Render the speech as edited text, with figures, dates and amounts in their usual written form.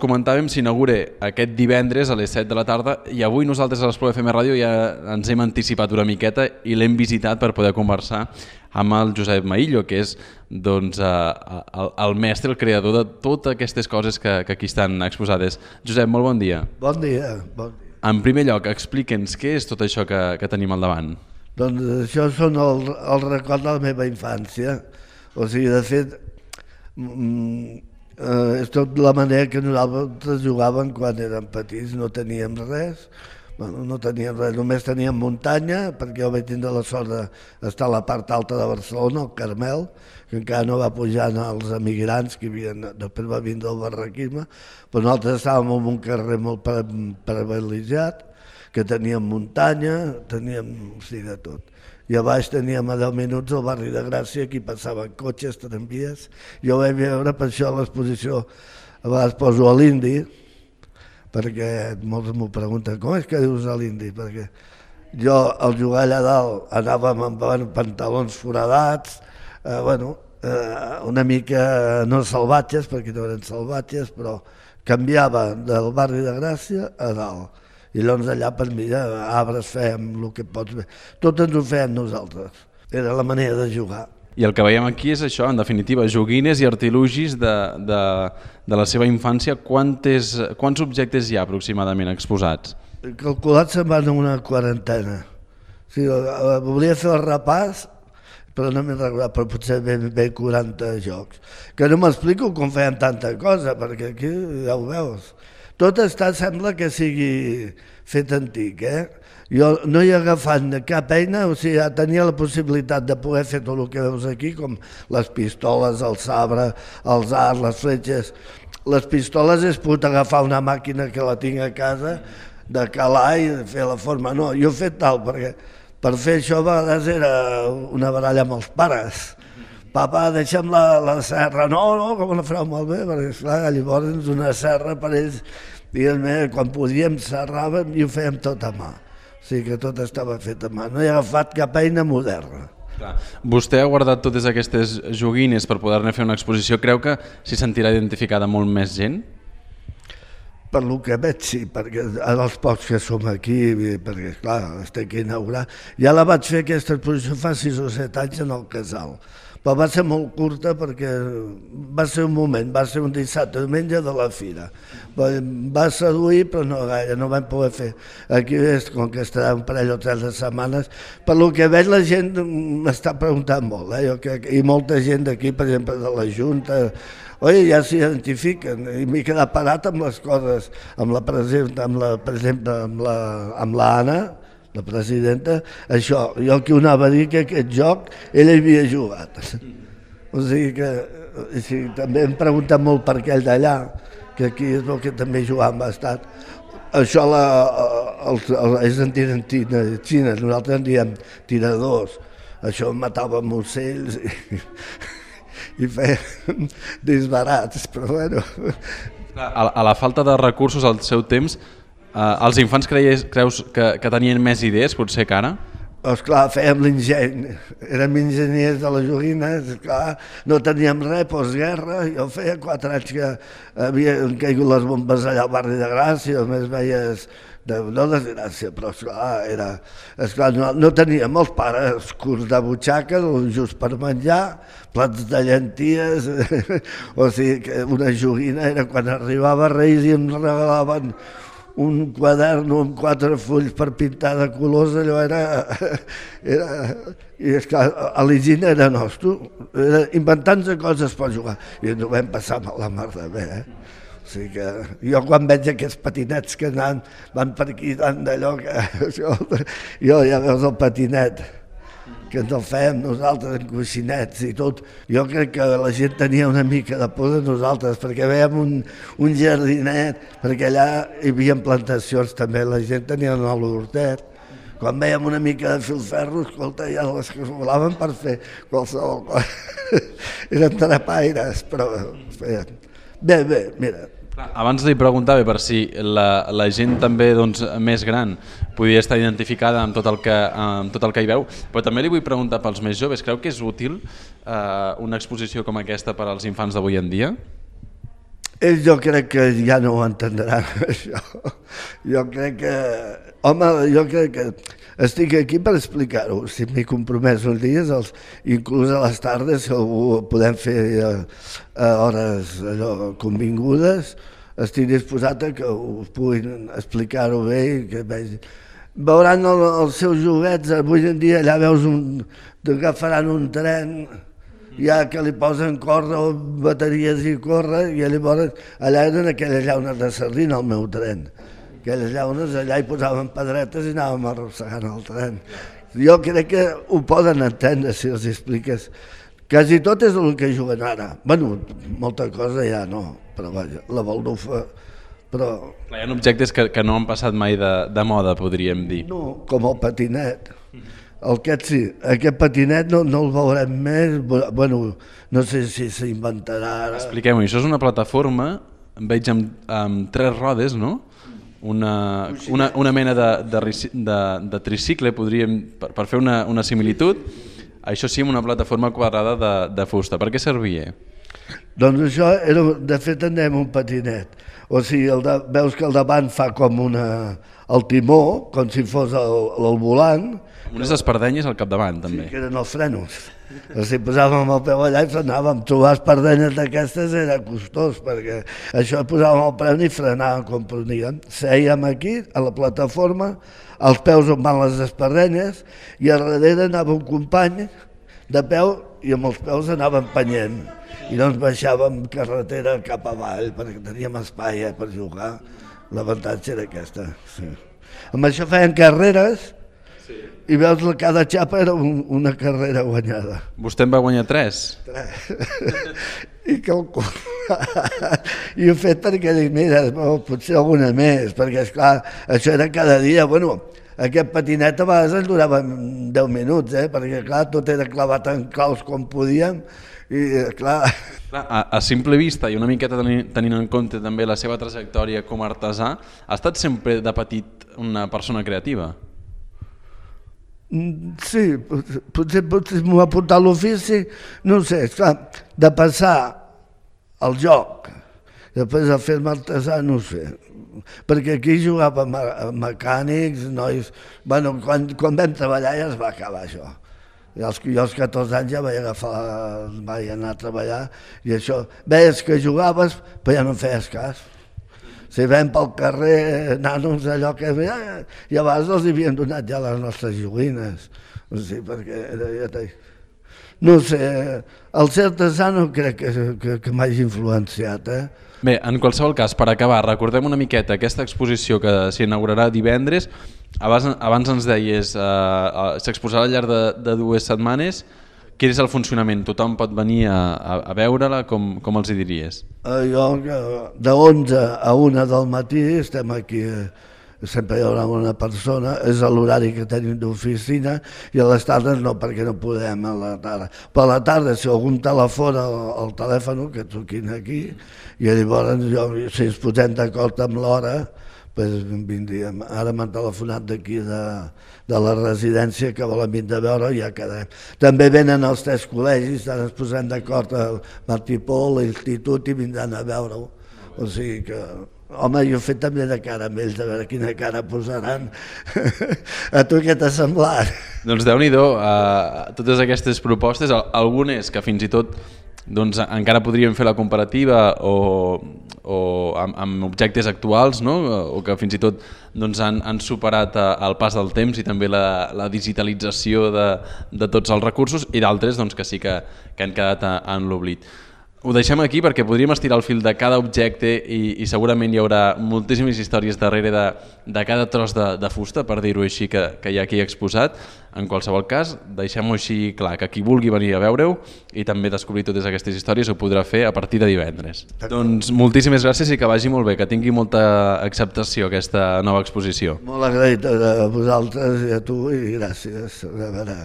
comentàvem, s'inaugura aquest divendres a les 7 de la tarda i avui nosaltres a l'Espluga FM Ràdio ja ens hem anticipat una miqueta i l'hem visitat per poder conversar amb el Josep Maillo, que és doncs, el mestre, el creador de totes aquestes coses que aquí estan exposades. Josep, molt bon dia. Bon dia. Bon dia. En primer lloc, explica'ns què és tot això que tenim al davant. Doncs això són el record de la meva infància. O sigui, de fet, és tot la manera que nosaltres jugàvem quan érem petits, no teníem res. Bueno, no teníem res, només teníem muntanya, perquè jo vaig tindre la sort d'estar a la part alta de Barcelona, al Carmel, que encara no va pujar als emigrants que després va vindre el barraquisme, però nosaltres estàvem en un carrer molt privilegiat, que teníem muntanya, teníem de tot. I a baix teníem a 10 minuts el barri de Gràcia, aquí passaven cotxes, tramvies. Jo vaig veure, per això a l'exposició a vegades poso a l'Indi, perquè molts m'ho pregunten, com és que dius a l'Indi? Perquè jo al jugar allà dalt anàvem amb pantalons foradats, una mica no salvatges, perquè no eren salvatges, però canviava del barri de Gràcia a dalt. I llavors allà per mi arbres fèiem el que pots fer. Tot ens ho fèiem nosaltres. Era la manera de jugar. I el que veiem aquí és això, en definitiva, joguines i artilugis de la seva infància. Quants objectes hi ha aproximadament exposats? Calculat se'n van una quarantena. O sigui, volia fer el repàs, però no m'he recordat, però potser ben 40 jocs. Que no m'explico com feien tanta cosa, perquè aquí ja ho veus. Tot sembla que sigui fet antic, Jo no he agafat cap eina, o sigui, tenia la possibilitat de poder fer tot el que veus aquí, com les pistoles, el sabre, els arcs, les fletxes. Les pistoles és pogut agafar una màquina que la tinc a casa, de calar i fer la forma. No, jo he fet tal, perquè per fer això a vegades era una baralla amb els pares. Papa, deixa'm la serra. No, com la fareu molt bé, perquè esclar, llavors una serra per ells, diguem-ne, quan podíem serràvem i ho fèiem tot a mà. O sigui que tot estava fet a mà. No he agafat cap eina moderna. Vostè ha guardat totes aquestes joguines per poder-ne fer una exposició. Creu que s'hi sentirà identificada molt més gent? Per lo que veig, sí, perquè els pocs que som aquí, perquè, esclar, estic a inaugurar, ja la vaig fer aquesta exposició fa 6 o 7 anys en el Casal, però va ser molt curta perquè va ser un moment, va ser un dissabte, diumenge de la fira. Va seduir, però no gaire, no vam poder fer. Aquí, com que estarà un parell o 3 de setmanes, per lo que veig la gent m'està preguntant molt, i molta gent d'aquí, per exemple, de la Junta, ja s'identifiquen, i m'he quedat parat amb les coses, per exemple, amb l'Anna, la presidenta, això, jo que ho anava a dir que aquest joc ell havia jugat. O sigui que també em pregunten molt per aquell d'allà, que aquí és el que també jugàvem bastant. Això ells en diuen xines, nosaltres en diem tiradors. Això matàvem ocells i fèiem disbarats, però bueno. A la falta de recursos al seu temps, els infants creus que tenien més idees, potser que ara? Esclar, fèiem l'enginy, érem enginyers de les joguines, esclar, no teníem res, postguerra, jo feia 4 anys que havien caigut les bombes allà al barri de Gràcia, només veies, no desgràcia, però esclar, no teníem els pares curts de butxaca, just per menjar, plats de llenties, o sigui que una joguina era quan arribava Reis i em regalaven un quadern amb 4 fulls per pintar de colors, allò i esclar, l'enginy era nostre, inventant-se coses per jugar, i ens ho vam passar amb la mar de bé, O sigui que jo quan veig aquests patinets que van per aquí tant d'allò que jo ja veus el patinet que ens el fèiem nosaltres en coixinets i tot, jo crec que la gent tenia una mica de por de nosaltres perquè vèiem un jardinet, perquè allà hi havia plantacions també, la gent tenia l'hortet. Quan vèiem una mica de filferro, escolta, ja les que volaven per fer qualsevol cosa. Eren trapaires, però bé, mira. Abans li preguntava per si la gent també més gran podia estar identificada amb tot el que hi veu, però també li vull preguntar pels més joves, creu que és útil una exposició com aquesta per als infants d'avui en dia? Ells jo crec que ja no ho entendran, això. Jo crec que... Home, jo crec que estic aquí per explicar-ho. Si m'hi compromès uns dies, inclús a les tardes, si ho podem fer a hores convingudes, estic disposat a que us puguin explicar-ho bé i que vegin. Veuran els seus joguets, avui en dia allà veus agafaran un tren, ja que li posen córrer bateries i corre, i llavors allà eren aquelles llaunes de sardina al meu tren. Aquelles llaunes allà hi posaven pedretes i anàvem arrossegant el tren. Jo crec que ho poden entendre si els expliques. Quasi tot és el que juguen ara. Bueno, molta cosa ja no, però vaja, la baldufa... Però... Hi ha objectes que no han passat mai de moda, podríem dir. No, com el patinet. Aquest sí, aquest patinet no el veurem més, bueno, no sé si s'inventarà ara. Expliquem-ho, això és una plataforma, veig amb 3 rodes, no? Una mena de tricicle, podríem, per fer una similitud, això sí, amb una plataforma quadrada de fusta. Per què servia? Doncs això, de fet, anem un patinet. O sigui, veus que al davant fa com el timó, com si fos el volant. Unes espardenyes al capdavant, també. Sí, que eren els frenos. O sigui, posàvem el peu allà i frenàvem. Trobar espardenyes d'aquestes era costós, perquè això posàvem el peu i frenàvem com podíem. Sèiem aquí, a la plataforma, als peus on van les espardenyes, i a darrere anava un company de peu i amb els peus anava empenyent. I doncs baixàvem carretera cap avall perquè teníem espai per jugar. L'avantatge era aquesta. Sí. Amb això feien carreres i veus que cada xapa era una carrera guanyada. Vostè en va guanyar 3? 3. I ho he fet perquè dic, mira, potser alguna més, perquè esclar, això era cada dia. Bueno, aquest patinet a vegades ens durava 10 minuts, perquè clar, tot era clavat en claus com podíem. I, clar... A simple vista i una miqueta tenint en compte també la seva trajectòria com a artesà, ha estat sempre de petit una persona creativa? Sí, potser m'ho ha portat l'ofici, no ho sé, esclar, de passar al joc, després a fer-me artesà, no ho sé, perquè aquí jugava mecànics, nois... Bueno, quan vam treballar ja es va acabar això. Jo als 14 anys ja vaig anar a treballar i això, veies que jugaves però ja no en feies cas. Si vam pel carrer nanos allò que... I a vegades els havien donat ja les nostres joguines. O sigui, perquè... No sé, el ser artesà no crec que m'hagi influenciat, Bé, en qualsevol cas, per acabar, recordem una miqueta aquesta exposició que s'inaugurarà divendres. Abans ens deies, s'exposarà al llarg de 2 setmanes. Quin és el funcionament? Tothom pot venir a veure-la? Com els hi diries? Jo, de 11 a 1 del matí estem aquí, sempre hi haurà una persona, és l'horari que tenim d'oficina, i a les tardes no, perquè no podem a la tarda. Però a la tarda, si algun telefona el telèfon, que truquin aquí, i llavors si ens posem d'acord amb l'hora, doncs vindríem. Ara m'han telefonat d'aquí de la residència que volen vindre a veure i ja quedem. També venen els 3 col·legis, ara ens posem d'acord al Martí Pol, l'Institut, i vindran a veure-ho. O sigui que... Home, jo he fet també de cara amb ells, a veure quina cara posaran. A tu què t'ha semblat? Doncs Déu-n'hi-do, totes aquestes propostes, algunes que fins i tot encara podríem fer la comparativa o amb objectes actuals, o que fins i tot han superat el pas del temps i també la digitalització de tots els recursos, i d'altres que sí que han quedat en l'oblit. Ho deixem aquí perquè podríem estirar el fil de cada objecte i segurament hi haurà moltíssimes històries darrere de cada tros de fusta, per dir-ho així, que hi ha aquí exposat. En qualsevol cas, deixem-ho així clar, que qui vulgui venir a veure-ho i també descobrir totes aquestes històries ho podrà fer a partir de divendres. Doncs moltíssimes gràcies i que vagi molt bé, que tingui molta acceptació aquesta nova exposició. Molt agraït a vosaltres i a tu i gràcies. A veure.